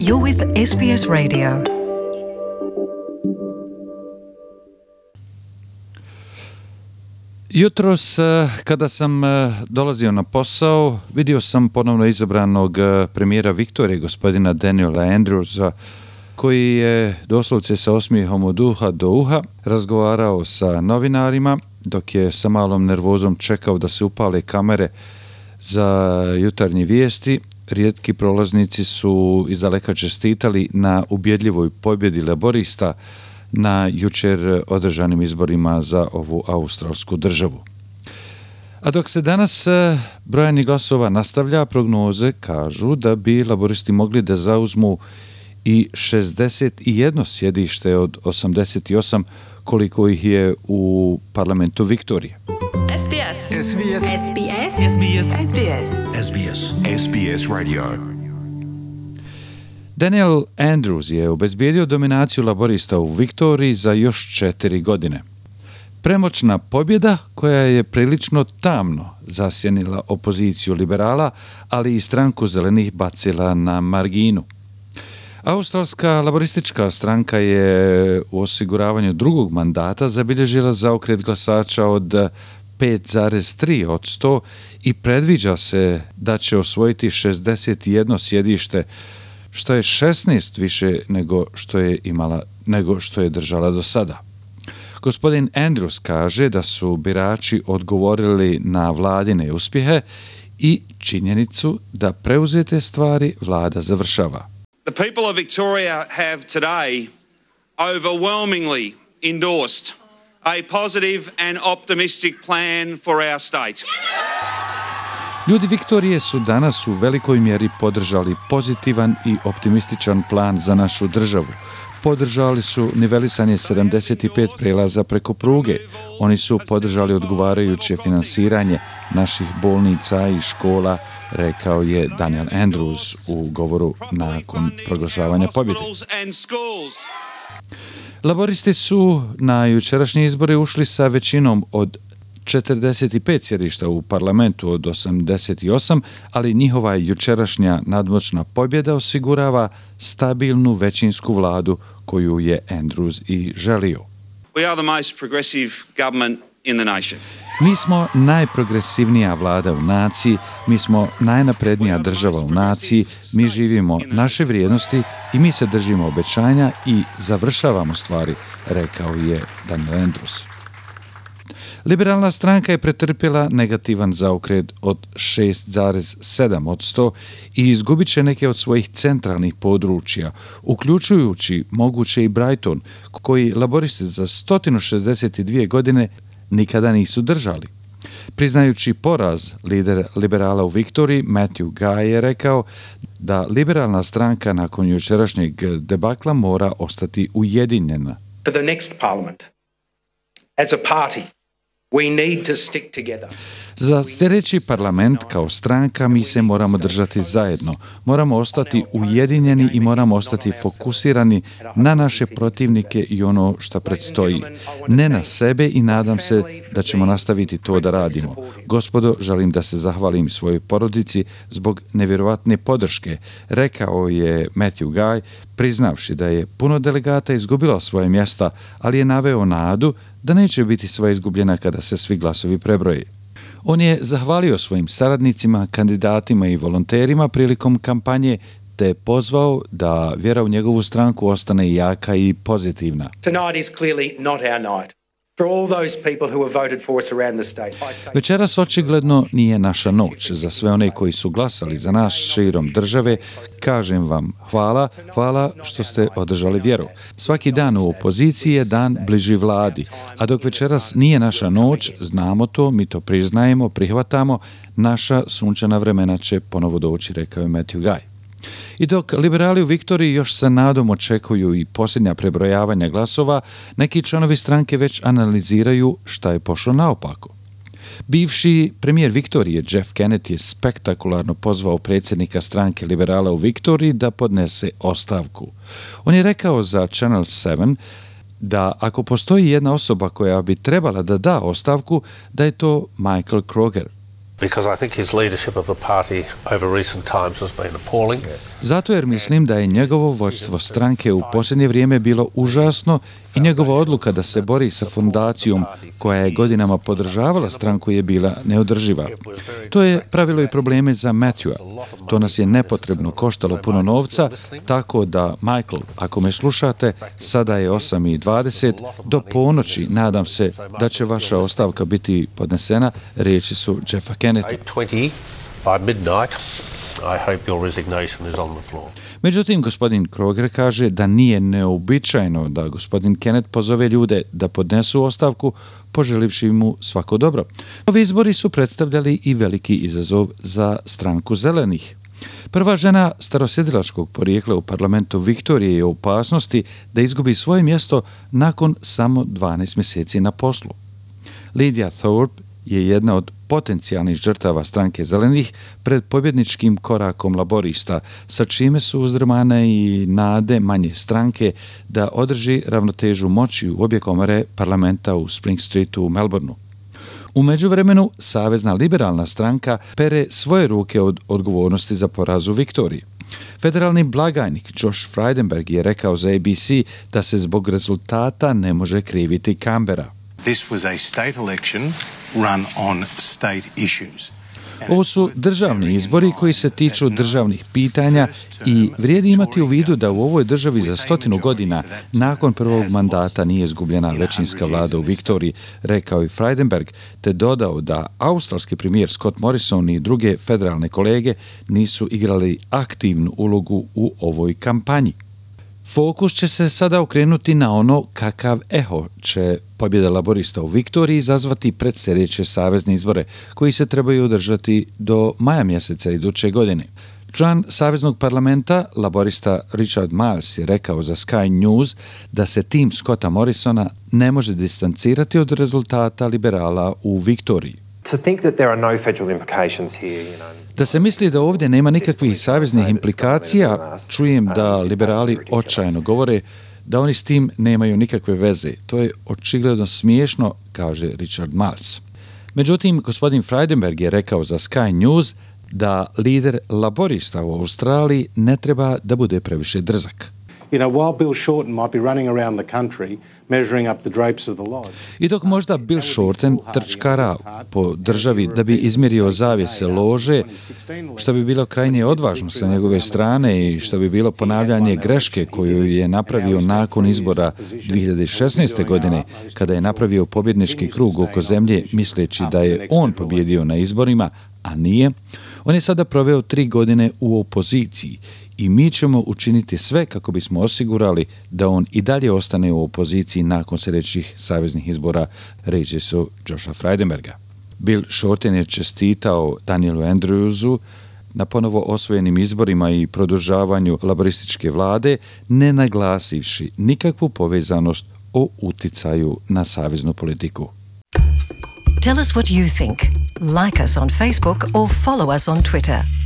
You're with SBS Radio. Jutros, kada sam dolazio na posao, vidio sam ponovno izabranog premijera Viktorije, gospodina Daniela Andrewsa, koji je doslovce sa osmijehom od uha do uha razgovarao sa novinarima, dok je sa malom nervozom čekao da se upale kamere za jutarnje vijesti. Rijetki prolaznici su izdaleka čestitali na ubjedljivoj pobjedi laborista na jučer održanim izborima za ovu australsku državu. A dok se danas brojanje glasova nastavlja, prognoze kažu da bi laboristi mogli da zauzmu i 61 sjedište od 88 koliko ih je u parlamentu Viktorije. SBS. SBS. SBS. SBS. SBS. SBS. SBS Radio. Daniel Andrews je obezbijedio dominaciju laborista u Viktoriji za još 4 godine. Premoćna pobjeda koja je prilično tamno zasjenila opoziciju liberala, ali i stranku zelenih bacila na marginu. Australska laboristička stranka je u osiguravanju drugog mandata zabilježila zaokret glasača od 5,3% i predviđa se da će osvojiti 61 sjedište, što je 16 više nego što je držala do sada. Gospodin Andrews kaže da su birači odgovorili na vladine uspjehe i činjenicu da preuzete stvari vlada završava. The people of Victoria have today overwhelmingly endorsed a positive and optimistic plan for our state. Ljudi Viktorije su danas u velikoj mjeri podržali pozitivan i optimističan plan za našu državu. Podržali su nivelisanje 75 prelaza preko pruge. Oni su podržali odgovarajuće finansiranje naših bolnica i škola, rekao je Daniel Andrews u govoru nakon proglašavanja pobjede. Laboristi su na jučerašnje izbore ušli sa većinom od 45 sjedišta u parlamentu od 88, ali njihova jučerašnja nadmoćna pobjeda osigurava stabilnu većinsku vladu koju je Andrews i želio. We are the most progressive government in the nation. Mi smo najprogresivnija vlada u naciji, mi smo najnaprednija država u naciji, mi živimo naše vrijednosti i mi se držimo obećanja i završavamo stvari, rekao je Daniel Andrews. Liberalna stranka je pretrpjela negativan zaokret od 6,7% i izgubit će neke od svojih centralnih područja, uključujući moguće i Brighton, koji laboristi za 162 godine nikada nisu držali. Priznajući poraz, lider liberala u Viktoriji, Matthew Guy, je rekao da liberalna stranka nakon jučerašnjeg debakla mora ostati ujedinjena. For the next parliament, as a party, we need to stick together. Za sljedeći parlament kao stranka mi se moramo držati zajedno, moramo ostati ujedinjeni i moramo ostati fokusirani na naše protivnike i ono što predstoji. Ne na sebe i nadam se da ćemo nastaviti to da radimo. Gospodo, želim da se zahvalim svojoj porodici zbog nevjerovatne podrške, rekao je Matthew Guy, priznavši da je puno delegata izgubilo svoje mjesta, ali je naveo nadu da neće biti sva izgubljena kada se svi glasovi prebroje. On je zahvalio svojim saradnicima, kandidatima i volonterima prilikom kampanje te pozvao da vjera u njegovu stranku ostane jaka i pozitivna. Tonight is clearly not our night. For all those people who have voted for us around the state, I say... Večeras očigledno nije naša noć. Za sve one koji su glasali za nas širom države, kažem vam hvala što ste održali vjeru. Svaki dan u opoziciji je dan bliži vladi, a dok večeras nije naša noć, znamo to, mi to priznajemo, prihvatamo, naša sunčana vremena će ponovo doći, rekao je Matthew Guy. I dok liberali u Viktoriji još sa nadom očekuju i posljednja prebrojavanja glasova, neki članovi stranke već analiziraju šta je pošlo naopako. Bivši premijer Viktorije Jeff Kennett je spektakularno pozvao predsjednika stranke liberala u Viktoriji da podnese ostavku. On je rekao za Channel 7 da ako postoji jedna osoba koja bi trebala da da ostavku, da je to Michael Kroger. Because I think his leadership of the party over recent times has been appalling. Zato jer mislim da je njegovo vođstvo stranke u posljednje vrijeme bilo užasno i njegova odluka da se bori sa fondacijom koja je godinama podržavala stranku je bila neodrživa. To je pravilo i probleme za Matthewa. To nas je nepotrebno koštalo puno novca, tako da, Michael, ako me slušate, sada je 8:20, do ponoći nadam se da će vaša ostavka biti podnesena, riječi su Jeffa Kennetta. 8:20 by midnight. I hope your resignation is on the floor. Međutim, gospodin Kroger kaže da nije neobičajno da gospodin Kennett pozove ljude da podnesu ostavku, poželivši mu svako dobro. Ovi izbori su predstavljali i veliki izazov za stranku zelenih. Prva žena starosjedilačkog porijekla u parlamentu Viktorije je u opasnosti da izgubi svoje mjesto nakon samo 12 mjeseci na poslu. Lydia Thorpe je jedna od potencijalnih žrtava stranke zelenih pred pobjedničkim korakom laborista, sa čime su uzdrmane i nade manje stranke da održi ravnotežu moći u obje komore parlamenta u Spring Streetu u Melbourneu. U međuvremenu, Savezna liberalna stranka pere svoje ruke od odgovornosti za poraz u Viktoriji. Federalni blagajnik Josh Frydenberg je rekao za ABC da se zbog rezultata ne može kriviti Canberra. This was a state election run on state issues. Ovo su državni izbori koji se tiču državnih pitanja i vrijedi imati u vidu da u ovoj državi za 100 godina nakon prvog mandata nije izgubljena većinska vlada u Viktoriji, rekao i Frydenberg, te dodao da australski premijer Scott Morrison i druge federalne kolege nisu igrali aktivnu ulogu u ovoj kampanji. Fokus će se sada okrenuti na ono kakav eho će pobjeda laborista u Viktoriji izazvati pred sljedeće savezne izbore, koji se trebaju održati do maja mjeseca iduće godine. Član Saveznog parlamenta, laborista Richard Marles, je rekao za Sky News da se tim Scotta Morrisona ne može distancirati od rezultata liberala u Viktoriji. Da se misli da ovdje nema nikakvih saveznih implikacija, čujem da liberali očajno govore da oni s tim nemaju nikakve veze. To je očigledno smiješno, kaže Richard Marles. Međutim, gospodin Frydenberg je rekao za Sky News da lider laborista u Australiji ne treba da bude previše drzak. While Bill Shorten might be running around the country measuring up the drapes of the lodge. I dok možda Bill Shorten trčkara po državi da bi izmjerio zavjese lože, što bi bilo krajnje odvažno sa njegove strane i što bi bilo ponavljanje greške koju je napravio nakon izbora 2016. godine, kada je napravio pobjednički krug oko zemlje misleći da je on pobjedio na izborima, a nije, on je sada proveo 3 godine u opoziciji i mi ćemo učiniti sve kako bismo osigurali da on i dalje ostane u opoziciji nakon sljedećih saveznih izbora, reći su Josha Frydenberga. Bill Shorten je čestitao Danielu Andrewsu na ponovo osvojenim izborima i produžavanju laborističke vlade, ne naglasivši nikakvu povezanost o uticaju na saveznu politiku. Tell us what you think. Like us on Facebook or follow us on Twitter.